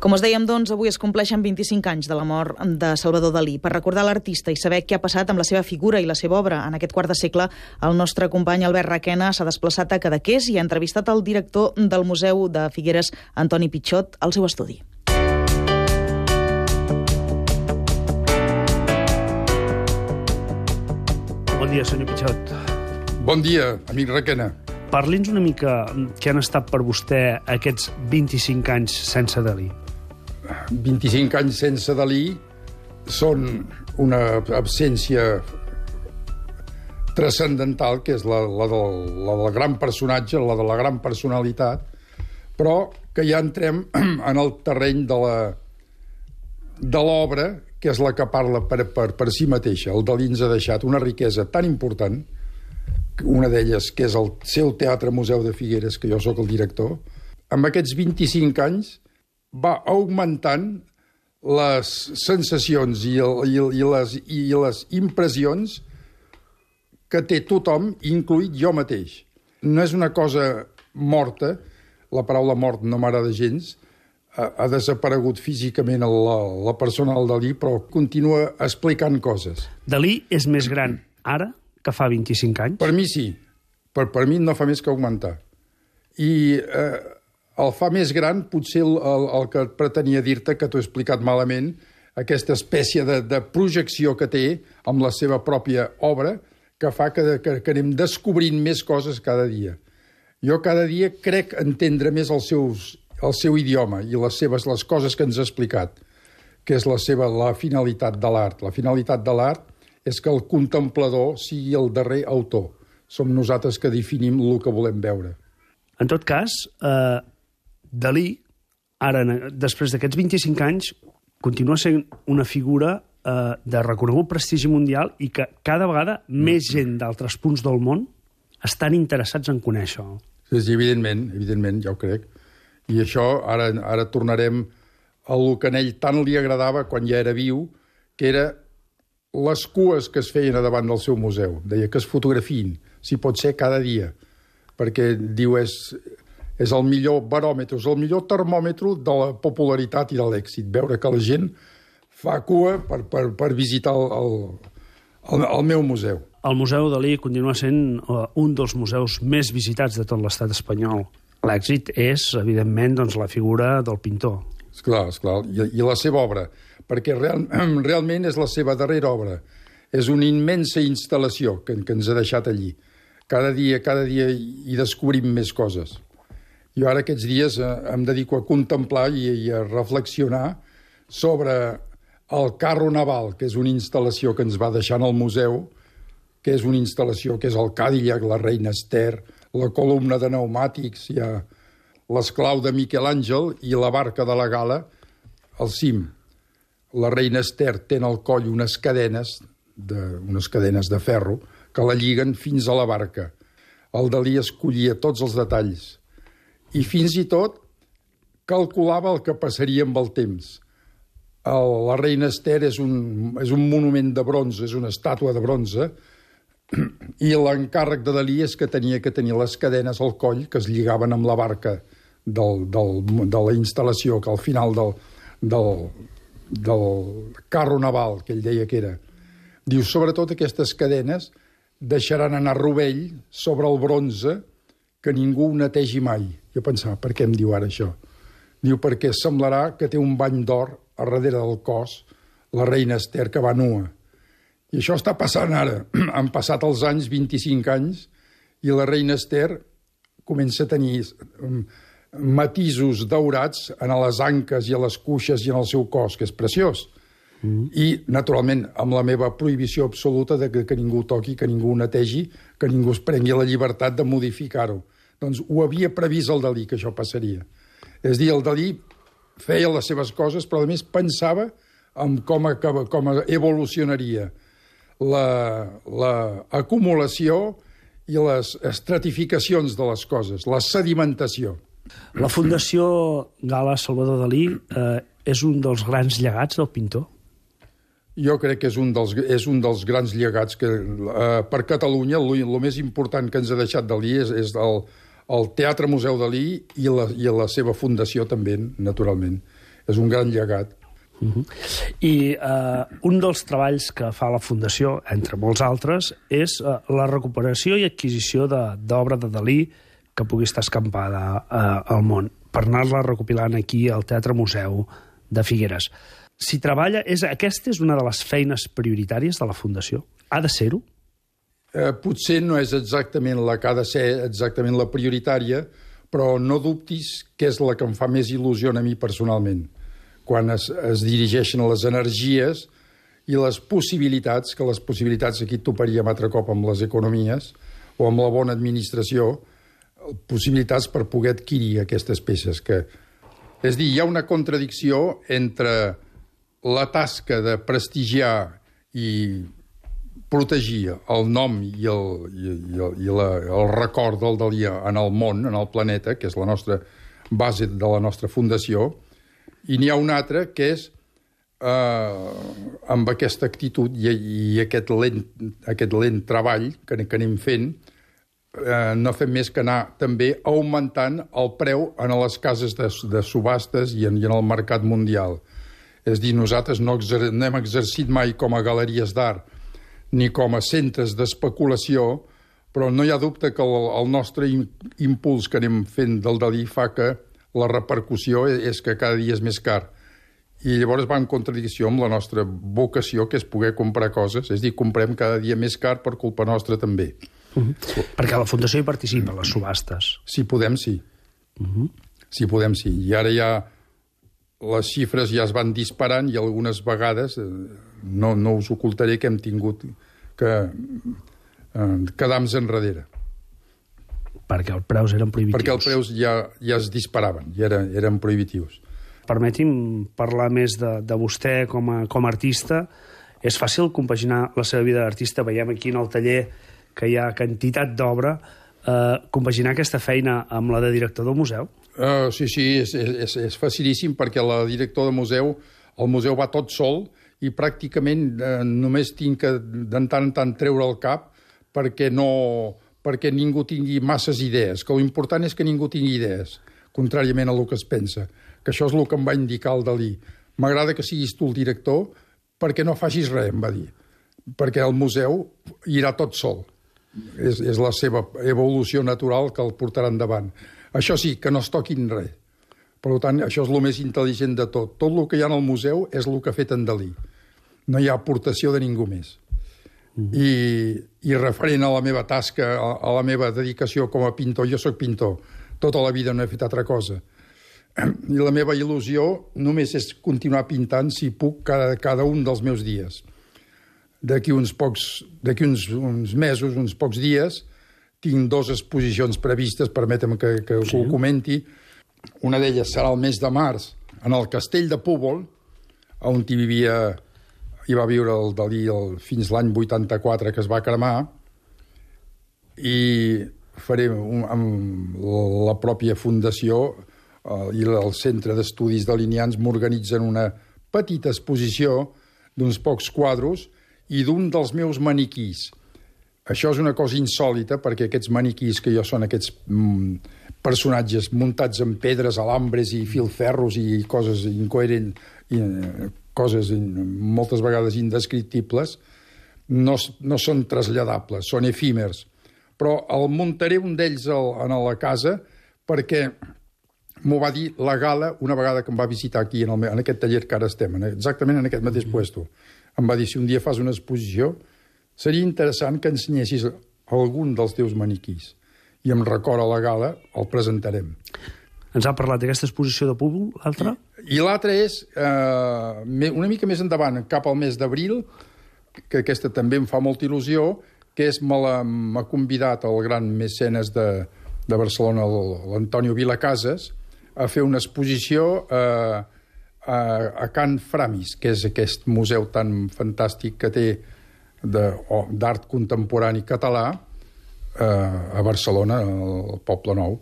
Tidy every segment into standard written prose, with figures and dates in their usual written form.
Com us dèiem, doncs, avui es compleixen 25 anys de la mort de Salvador Dalí. Per recordar l'artista i saber què ha passat amb la seva figura i la seva obra en aquest quart de segle, el nostre company Albert Requena s'ha desplaçat a Cadaqués i ha entrevistat el director del Museu de Figueres, Antoni Pichot, al seu estudi. Bon dia, senyor Pichot. Bon dia, amic Requena. Parli'ns una mica què han estat per vostè aquests 25 anys sense Dalí. 25 anys sense Dalí són una absència transcendental, que és la del gran personatge, la de la gran personalitat, però que ja entrem en el terreny de l'obra, que és la que parla per si mateixa. El Dalí ens ha deixat una riquesa tan important, una d'elles que és el seu Teatre Museu de Figueres, que jo sóc el director. Amb aquests 25 anys va augmentant les sensacions i les impressions que té tothom, incluït jo mateix. No és una cosa morta, la paraula mort no m'agrada gens, ha desaparegut físicament la persona del Dalí, però continua explicant coses. Dalí és més gran ara que fa 25 anys? Per mi sí. Per mi no fa més que augmentar. I el fa més gran, potser el que pretenia dir-te, que t'ho he explicat malament, aquesta espècie de projecció que té amb la seva pròpia obra, que fa que anem descobrint més coses cada dia. Jo cada dia crec entendre més el seu idioma i les coses que ens ha explicat, que és la finalitat de l'art. La finalitat de l'art és que el contemplador sigui el darrer autor. Som nosaltres que definim el que volem veure. En tot cas, Dalí, ara, després d'aquests 25 anys, continua sent una figura de reconegut prestigi mundial i que cada vegada més gent d'altres punts del món estan interessats en conèixer-ho. Sí, evidentment, ja ho crec. I això, ara tornarem a el que a ell tant li agradava quan ja era viu, que era les cues que es feien a davant del seu museu. Deia que es fotografiïn, si pot ser cada dia, perquè diu és el millor baròmetre, és el millor termòmetre de la popularitat i de l'èxit, veure que la gent fa cua per visitar el meu museu. El Museu Dalí continua sent un dels museus més visitats de tot l'estat espanyol. L'èxit és, evidentment, doncs, la figura del pintor. Esclar, i la seva obra, perquè realment és la seva darrera obra. És una immensa instal·lació que ens ha deixat allí. Cada dia hi descobrim més coses. Jo ara aquests dies em dedico a contemplar i a reflexionar sobre el carro naval, que és una instal·lació que ens va deixar en el museu, que és una instal·lació que és el Cadillac, la Reina Ester, la columna de pneumàtics, hi ha l'esclau de Miquel Àngel i la barca de la Gala al cim. La Reina Ester té al coll unes cadenes de ferro que la lliguen fins a la barca. El Dalí escollia tots els detalls i fins i tot calculava el que passaria amb el temps. La Reina Ester és un monument de bronze, és una estàtua de bronze, i l'encàrrec de Dalí és que tenia que tenir les cadenes al coll que es lligaven amb la barca de la instal·lació, que al final del carro naval, que ell deia que era. Diu, sobretot aquestes cadenes deixaran anar rovell sobre el bronze que ningú ho netegi mai. Jo pensava, per què em diu ara això? Diu, perquè semblarà que té un bany d'or a darrere del cos la Reina Ester, que va nua. I això està passant ara. Han passat els anys, 25 anys, i la Reina Ester comença a tenir matisos daurats a les anques i a les cuixes i en el seu cos, que és preciós. I, naturalment, amb la meva prohibició absoluta de que ningú toqui, que ningú netegi, que ningú es prengui la llibertat de modificar-ho. Doncs ho havia previst el Dalí, que això passaria. És a dir, el Dalí feia les seves coses, però a més pensava en com evolucionaria l'acumulació i les estratificacions de les coses, la sedimentació. La Fundació Gala Salvador Dalí és un dels grans llegats del pintor? Jo crec que és un dels grans llegats que per Catalunya el més important que ens ha deixat Dalí és el Teatre Museu Dalí i la seva fundació també, naturalment. és un gran llegat. I un dels treballs que fa la Fundació, entre molts altres, és la recuperació i adquisició d'obra de Dalí que pugui estar escampada al món, per anar-la recopilant aquí al Teatre Museu de Figueres. Si treballa, aquesta és una de les feines prioritàries de la Fundació? Ha de ser-ho? Potser no és exactament la que ha de ser exactament la prioritària, però no dubtis que és la que em fa més il·lusió a mi personalment, quan es dirigeixen les energies i les possibilitats, que les possibilitats aquí toparíem altre cop amb les economies o amb la bona administració, possibilitats per poder adquirir aquestes peces. És dir, hi ha una contradicció entre la tasca de prestigiar i protegir el nom i el record del Dalí en el món, en el planeta, que és la nostra base de la nostra fundació, i n'hi ha una altra que és amb aquesta actitud i aquest lent treball que anem fent, no fem més que anar també augmentant el preu en les cases de subhastes i en el mercat mundial. És dir, nosaltres no hem exercit mai com a galeries d'art ni com a centres d'especulació, però no hi ha dubte que el nostre impuls que anem fent del Dalí fa que la repercussió és que cada dia és més car. I llavors va en contradicció amb la nostra vocació, que és poder comprar coses. És dir, comprem cada dia més car per culpa nostra també. Perquè la Fundació hi participa, a les subhastes. Si podem, sí. Si podem, sí. I ara ja les xifres ja es van disparant i algunes vegades, no us ocultaré que hem tingut que quedar-nos enrere. Perquè els preus eren prohibitius. Perquè els preus ja es disparaven, ja eren prohibitius. Permeti'm parlar més de vostè com a artista. És fàcil compaginar la seva vida d'artista? Veiem aquí en el taller que hi ha quantitat d'obra. Compaginar aquesta feina amb la de director del museu? Sí, és facilíssim, perquè la director de museu, el museu va tot sol i pràcticament només tinc que de tant en tant treure el cap perquè ningú tingui masses idees, que l'important és que ningú tingui idees, contràriament a el que es pensa, que això és el que em va indicar el Dalí. M'agrada que siguis tu el director perquè no facis res, em va dir, perquè el museu irà tot sol. És la seva evolució natural que el portarà endavant. Això sí, que no es toquin res. Per tant, això és el més intel·ligent de tot. Tot el que hi ha al museu és el que ha fet en Dalí. No hi ha aportació de ningú més. I referent a la meva tasca, a la meva dedicació com a pintor, jo sóc pintor, tota la vida no he fet altra cosa. I la meva il·lusió només és continuar pintant, si puc, cada un dels meus dies. D'aquí uns mesos, uns pocs dies, tinc 2 exposicions previstes, permetem que ho comenti. Una d'elles serà el mes de març, en el Castell de Púbol, on hi va viure el Dalí fins l'any 84, que es va cremar, i faré amb la pròpia fundació i el Centre d'Estudis Dalinians m'organitzen una petita exposició d'uns pocs quadros i d'un dels meus maniquís. Això és una cosa insòlita, perquè aquests maniquís que jo són aquests personatges muntats en pedres, alambres i filferros i coses incoherents, coses moltes vegades indescriptibles, no són traslladables, són efímers. Però el muntaré un d'ells a la casa perquè m'ho va dir la Gala una vegada que em va visitar aquí, en aquest taller que ara estem, exactament en aquest mateix puesto. Em va dir, si un dia fas una exposició, seria interessant que ensenyessis algun dels teus maniquís. I em recorda la Gala, el presentarem. Ens ha parlat d'aquesta exposició de Púbol, l'altra? I l'altra és, una mica més endavant, cap al mes d'abril, que aquesta també em fa molta il·lusió, que m'ha convidat el gran mecenes de Barcelona, l'Antonio Vilacases, a fer una exposició a Can Framis, que és aquest museu tan fantàstic que té d'art contemporani català a Barcelona, al Poble Nou.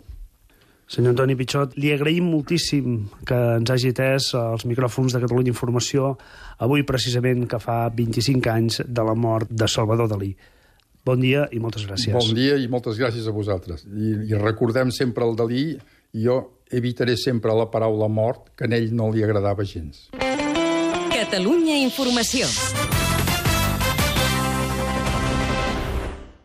Senyor Antoni Pichot, li agraïm moltíssim que ens hagi atès als micròfons de Catalunya Informació avui precisament que fa 25 anys de la mort de Salvador Dalí. Bon dia i moltes gràcies. Bon dia i moltes gràcies a vosaltres. I recordem sempre el Dalí, i jo evitaré sempre la paraula mort, que a ell no li agradava gens. Catalunya Informació.